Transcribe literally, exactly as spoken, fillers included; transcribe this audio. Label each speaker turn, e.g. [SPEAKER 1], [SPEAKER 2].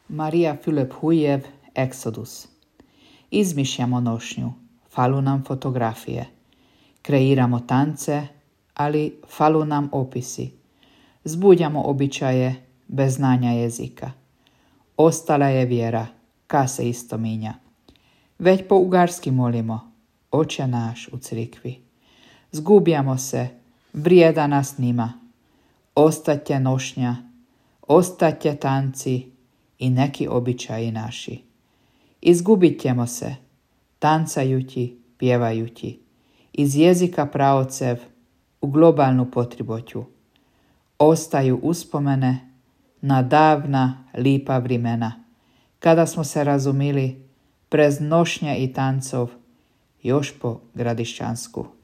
[SPEAKER 1] Marija Filip Hujev, Exodus. Izmišljamo nošnju, falu nam fotografije. Kreiramo tance, ali falu nam opisi. Zbudjamo običaje bez znanja jezika. Ostala je vjera, ka se isto minja. Već po ugarski molimo, Oče naš u crikvi. Zgubjamo se, vrijeda nas nima. Ostatje nošnja, ostatje tanci i neki običaji naši. Izgubit ćemo se, tancajući, pjevajući, iz jezika praocev u globalnu potriboću. Ostaju uspomene na davna, lipa vrimena, kada smo se razumili prez nošnje i tancov još po gradišćansku.